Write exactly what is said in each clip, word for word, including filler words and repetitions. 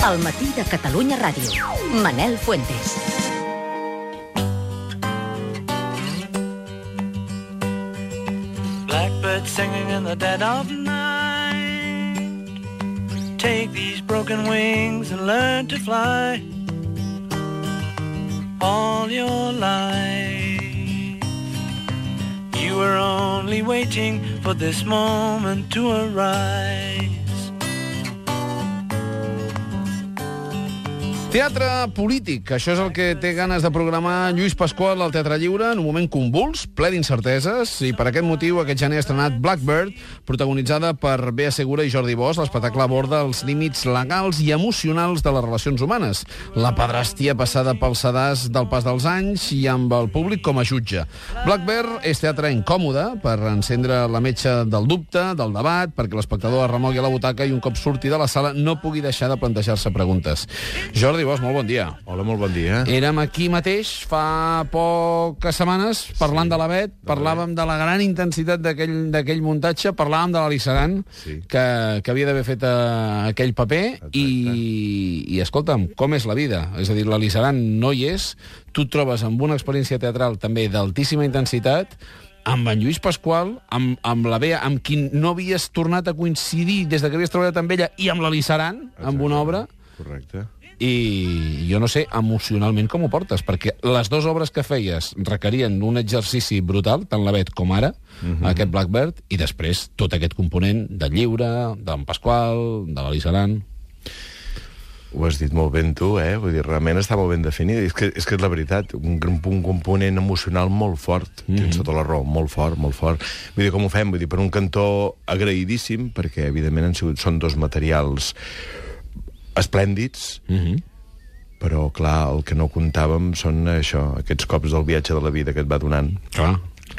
Al matí de Catalunya Ràdio. Manel Fuentes. Blackbird singing in the dead of night. Take these broken wings and learn to fly. All your life you were only waiting for this moment to arise. Teatre polític, això és el que té ganes de programar Lluís Pasqual al Teatre Lliure en un moment convuls, ple d'incerteses, i per aquest motiu aquest gener ha estrenat Blackbird, protagonitzada per Bea Segura i Jordi Bosch. L'espectacle aborda els límits legals i emocionals de les relacions humanes, la pedrastia passada pel sedàs del pas dels anys i amb el públic com a jutge. Blackbird és teatre incòmode per encendre la metxa del dubte, del debat, perquè l'espectador es remogui a la butaca i un cop surti de la sala no pugui deixar de plantejar-se preguntes. Jordi Bosch, molt bon dia. Hola, molt bon dia. Érem aquí mateix fa poques setmanes parlant sí, de la Bet, parlàvem de la gran intensitat d'aquell muntatge, parlàvem de l'Alisaran, sí. que, que havia d'haver fet uh, aquell paper, i, i escolta'm, com és la vida? És a dir, l'Alisaran no hi és, tu et trobes amb una experiència teatral també d'altíssima intensitat, amb en Lluís Pasqual, amb, amb la Bea, amb qui no havies tornat a coincidir des de que havies treballat amb ella, i amb l'Alisaran, amb una obra. Correcte. I jo no sé emocionalment com ho portes, perquè les dues obres que feies requerien un exercici brutal, tant la Bet com ara, uh-huh. aquest Blackbird, i després tot aquest component del lliure, d'en Pasqual, de l'Alisaran. Ho has dit molt ben tu, eh? Vull dir, realment està molt ben definit. És que és, que és la veritat, un, un component emocional molt fort, mm-hmm. tens tota la raó, molt fort, molt fort. Vull dir, com ho fem? Vull dir, per un cantó agraïdíssim, perquè evidentment han sigut, són dos materials esplèndids, mm-hmm. però, clar, el que no comptàvem són això, aquests cops del viatge de la vida que et va donant. Clar.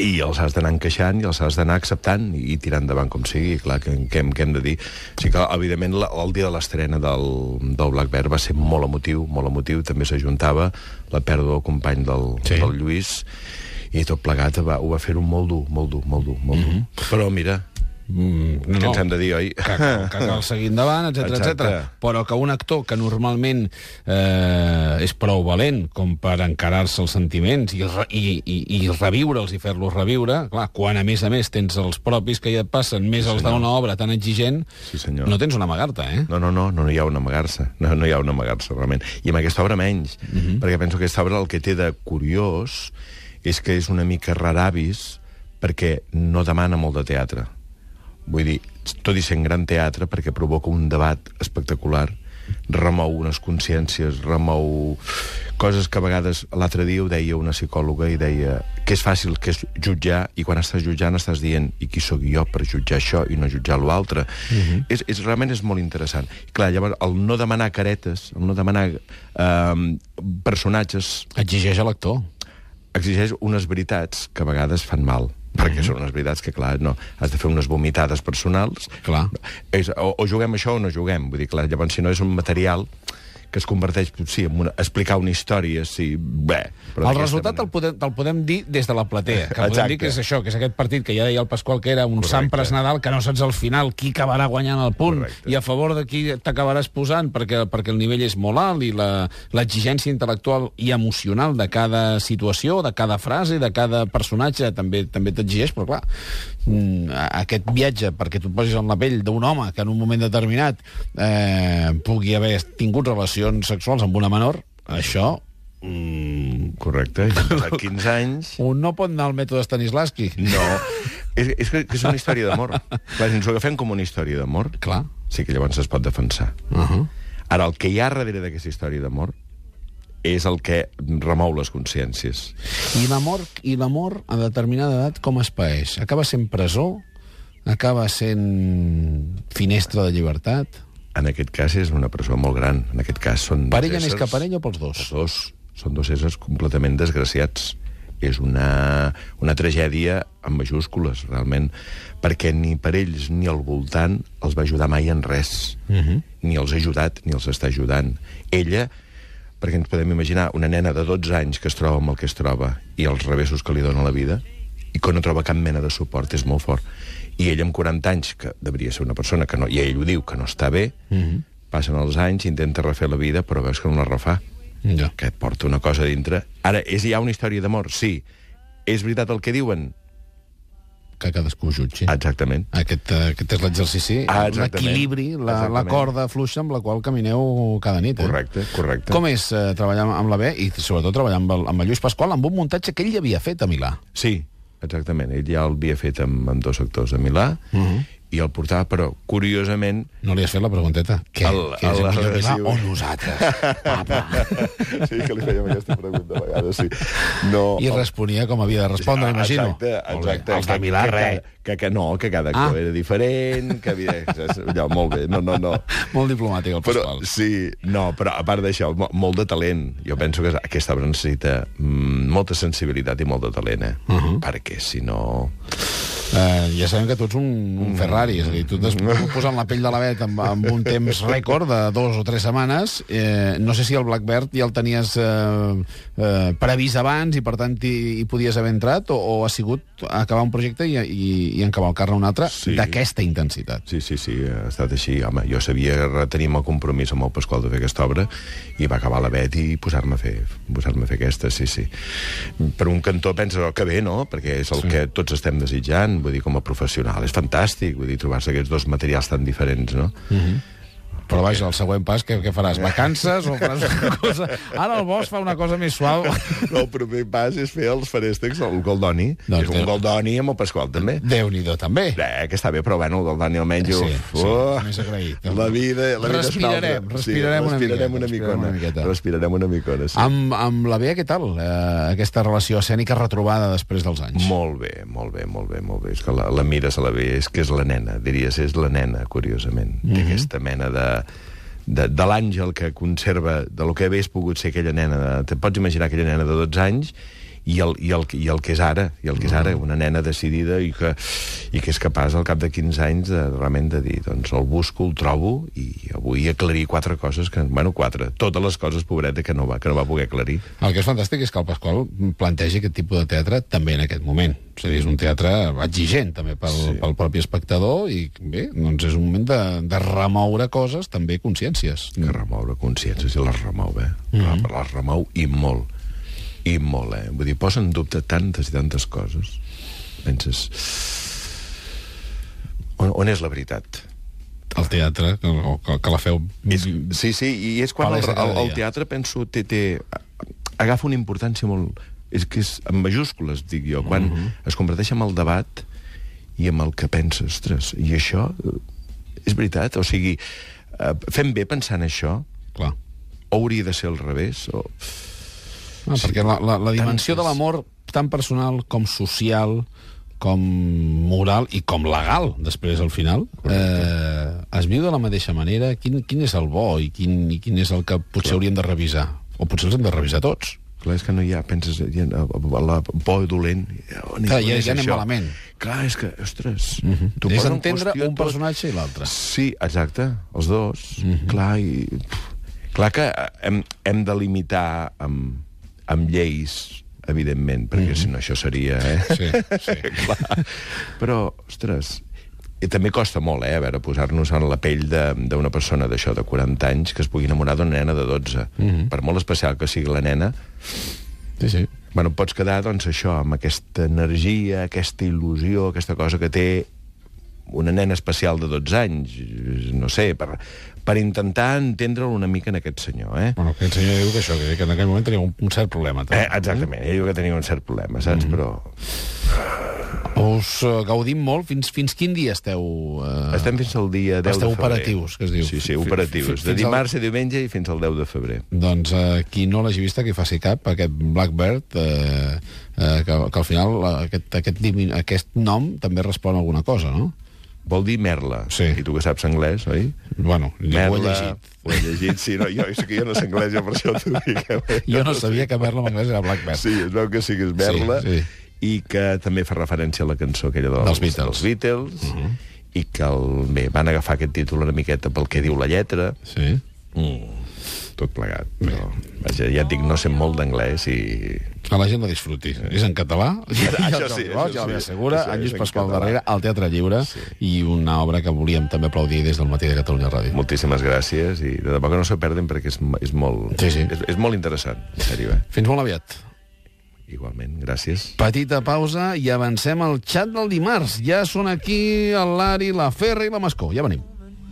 I els has d'anar encaixant i els has d'anar acceptant i, i tirant endavant com sigui, clar, què, què, què hem de dir? O sigui que, evidentment, la, el dia de l'estrena del, del Blackbird va ser molt emotiu, molt emotiu, també s'ajuntava la pèrdua del company del, sí. del Lluís, i tot plegat va, ho va fer-ho molt dur, molt dur, molt dur, molt dur. Mm-hmm. Però, mira... Mm, no, que ens hem de dir, oi? Que, que cal seguir endavant, etcètera, etcètera. Però que un actor que normalment eh, és prou valent com per encarar-se els sentiments i, i, i, i reviure'ls i fer-los reviure, clar, quan a més a més tens els propis que ja et passen, més sí, els d'una obra tan exigent, sí, no tens una amagar-te, eh? No, no, no, no hi ha una amagar-se, no, no hi ha una amagar-se, realment. I amb aquesta obra menys, mm-hmm. perquè penso que aquesta obra el que té de curiós és que és una mica raravis perquè no demana molt de teatre. Vull dir, tot i sent gran teatre, perquè provoca un debat espectacular, remou unes consciències, remou coses que a vegades, l'altre dia ho deia una psicòloga i deia que és fàcil que és jutjar, i quan estàs jutjant estàs dient i qui sóc jo per jutjar això i no jutjar l'altre. Uh-huh. és, és, realment és molt interessant. I clar, llavors, el no demanar caretes, el no demanar eh, personatges... Exigeix a l'actor. Exigeix unes veritats que a vegades fan mal. Perquè són unes veritats que, clar, no, has de fer unes vomitades personals. Clar. És, o, o juguem això o no juguem. Vull dir, clar, llavors, si no és un material que es converteix, sí, en una, explicar una història, sí, bé... El resultat te'l podem, te podem dir des de la platea, que podem dir que és això, que és aquest partit que ja deia el Pasqual que era un sant pres Nadal, que no saps al final qui acabarà guanyant el punt. Correcte. I a favor de qui t'acabaràs posant, perquè, perquè el nivell és molt alt i l'exigència intel·lectual i emocional de cada situació, de cada frase, de cada personatge també també t'exigeix, però clar, aquest viatge perquè tu et posis en la pell d'un home que en un moment determinat eh, pugui haver tingut relació sexuals amb una menor, això... Mm, correcte, a quinze anys... Un no pot anar al mètode Stanislavski. No, és, és que és una història d'amor. Clar, si ens ho agafem com una història d'amor, clar, sí que llavors es pot defensar. Uh-huh. Ara, el que hi ha darrere d'aquesta història d'amor és el que remou les consciències. I l'amor i l'amor a determinada edat com es paeix? Acaba sent presó? Acaba sent finestra de llibertat? En aquest cas és una presó molt gran. En aquest cas són per ella més que per ella o pels dos? Els dos. Són dos éssers completament desgraciats. És una, una tragèdia amb majúscules, realment, perquè ni per ells ni al voltant els va ajudar mai en res. Uh-huh. Ni els ha ajudat, ni els està ajudant. Ella, perquè ens podem imaginar una nena de dotze anys que es troba amb el que es troba i els revessos que li dona la vida, i que no troba cap mena de suport, és molt fort. I ell amb quaranta anys, que devia ser una persona que no, i ell ho diu, que no està bé, mm-hmm. passen els anys, intenta refer la vida, però veus que no la refà. Ja. Que et porta una cosa dintre. Ara, és ja una història d'amor? Sí. És veritat el que diuen? Que cadascú jutgi. Exactament. Aquest, aquest és l'exercici, Ah, l'equilibri, la, la corda fluixa amb la qual camineu cada nit. Eh? Correcte, correcte. Com és eh, treballar amb la B i sobretot treballar amb el, amb el Lluís Pasqual amb un muntatge que ell ja havia fet a Milà? Sí, exactament. Ell ja l'havia fet amb, amb dos actors a Milà, uh -huh. i el portava, però, curiosament... No li has fet la pregunteta. Què? El, Què és el millor Milà sí, o nosaltres? Papa. Sí, que li fèiem aquesta pregunta a vegades, sí. No, I responia com havia de respondre, imagino. Exacte, exacte. Els de Milà, que, res. Que, que, no, que cada actor ah. era diferent, que havia... Allò, molt bé, no, no, no. Molt diplomàtic, el Pasqual. Però, sí, no, però a part d'això, molt de talent. Jo penso que aquesta obra necessita mm, molta sensibilitat i molt de talent, eh? Uh -huh. Perquè, si no... Uh, ja sabem que tu ets un, un Ferrari, és a dir, tu t'has posat la pell de la Bet amb, amb un temps rècord de dos o tres setmanes. Eh, no sé si el Blackbird ja el tenies eh, eh, previst abans i, per tant, hi, hi podies haver entrat, o, o ha sigut acabar un projecte i, i, i encavalcar-ne un altre sí. d'aquesta intensitat. Sí, sí, sí, ha estat així. Home, jo sabia que tenim el compromís amb el Pasqual de fer aquesta obra i va acabar la Bet i posar-me a fer, posar-me a fer aquesta, sí, sí. Per un cantó pensa, oh, que bé, no? Perquè és el sí. que tots estem desitjant, vull dir, com a professional. És fantàstic, vull dir, trobar-se aquests dos materials tan diferents, no? Mm-hmm. Però vaja, el següent pas, què, què faràs? Vacances o faràs una cosa... Ara el Bosch fa una cosa més suau. No, el primer pas és fer els feréstecs, el Goldoni. Doncs és un Goldoni amb el Pasqual, també. Déu-n'hi-do, també. Eh, que està bé, però bueno, el Goldoni almenys... Sí, uf, sí, oh, més agraït. La vida, la vida respirarem, és respirarem, sí, una, respirarem miqueta, una micona. una miqueta. Respirarem una micona, sí. Amb, amb la Bea, què tal? Eh, aquesta relació escènica retrobada després dels anys. Molt bé, molt bé, molt bé, molt bé. És que la, la mires a la Bea, és que és la nena, diries, és la nena, curiosament. Mm-hmm. Té aquesta mena de... de, de l'àngel que conserva de lo que hagués pogut ser aquella nena. De, te pots imaginar aquella nena de dotze anys i el, i el, i el que és ara, i el que és ara, una nena decidida i que, i que és capaç al cap de quinze anys de, realment de dir, doncs el busco, el trobo i avui aclarir quatre coses que, bueno, quatre, totes les coses, pobreta, que no va, que no va poder aclarir. El que és fantàstic és que el Pasqual plantegi aquest tipus de teatre també en aquest moment. És a dir, és un teatre exigent també pel, sí. pel propi espectador i bé, doncs és un moment de, de remoure coses, també consciències. Que remoure consciències i les remou, eh? Mm-hmm. Les remou i molt. I molt, eh? Vull dir, posa en dubte tantes i tantes coses. Penses... On, on és la veritat? El teatre, que, que, que la feu... És, sí, sí, i és quan el, el, el teatre, penso, té, té, agafa una importància molt... És que és en majúscules, dic jo, quan uh-huh. es converteix en el debat i amb el que penses, ostres, i això és veritat? O sigui, fem bé pensant això? Clar. O hauria de ser al revés? O... Ah, sí, perquè la, la, la dimensió tantes... de l'amor, tant personal com social, com moral i com legal, després, al final, eh, es viu de la mateixa manera. Quin, quin és el bo i quin, i quin és el que potser Clar. hauríem de revisar? O potser els hem de revisar tots. Clar, és que no hi ha, penses, hi ha, la por dolent... Clar, ja, ja anem malament. Clar, és que, ostres... Uh-huh. És entendre un tot... personatge i l'altre. Sí, exacte, els dos. Uh-huh. Clar, i... Clar que hem, hem de limitar amb, amb lleis, evidentment, perquè uh-huh. si no això seria... Eh? Sí, sí. Clar. Però, ostres... I també costa molt, eh, a veure, posar-nos en la pell d'una persona d'això, de quaranta anys, que es pugui enamorar d'una nena de dotze. Mm-hmm. Per molt especial que sigui la nena, sí, sí. Bueno, pots quedar, doncs, això, amb aquesta energia, aquesta il·lusió, aquesta cosa que té una nena especial de dotze anys, no sé, per, per intentar entendre'l una mica en aquest senyor, eh? Bueno, aquest senyor diu que això, que en aquell moment tenia un, un cert problema. Eh, exactament, ell diu que tenia un cert problema, saps? Mm-hmm. Però... Us uh, gaudim molt. Fins, fins quin dia esteu... Uh, Estem fins al dia deu esteu de febrer. Operatius, que es diu. Sí, sí, operatius. De dimarts a diumenge i fins al deu de febrer. Doncs uh, qui no l'hagi vist, que faci cap, aquest Blackbird, uh, uh, que, que al final uh, aquest, aquest, aquest nom també respon a alguna cosa, no? Vol dir merla. Sí. I tu que saps anglès, oi? Bueno, merla, ho he llegit. Ho he llegit, sí. No, jo, és que jo no sé anglès, jo per això t'ho dic. Eh? Jo no sabia que merla en anglès era Blackbird. Sí, es veu que sí que és merla. Sí, sí. I que també fa referència a la cançó aquella dels, dels Beatles, dels Beatles uh-huh. i que el, bé, van agafar aquest títol una miqueta pel que diu la lletra. Sí. Mm, tot plegat. Però, vaja, ja et dic, no sé molt d'anglès i... Que la gent la disfruti. És en català, ja, Això ja, sí, ja, això ja sí, l'he assegura, això en és Lluís en Pasqual català. darrere, al Teatre Lliure, Sí. i una obra que volíem també aplaudir des del matí de Catalunya Ràdio. Moltíssimes gràcies, i de debò que no s'ho perden perquè és, és, molt, Sí, sí. és, és molt interessant, en sèrio, eh? Fins molt aviat. Igualment, gràcies. Petita pausa i avancem al xat del dimarts. Ja són aquí el Lari, la Ferra i la Mascó. Ja venim.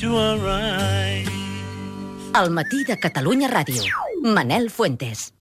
To arrive. El matí de Catalunya Ràdio. Manel Fuentes.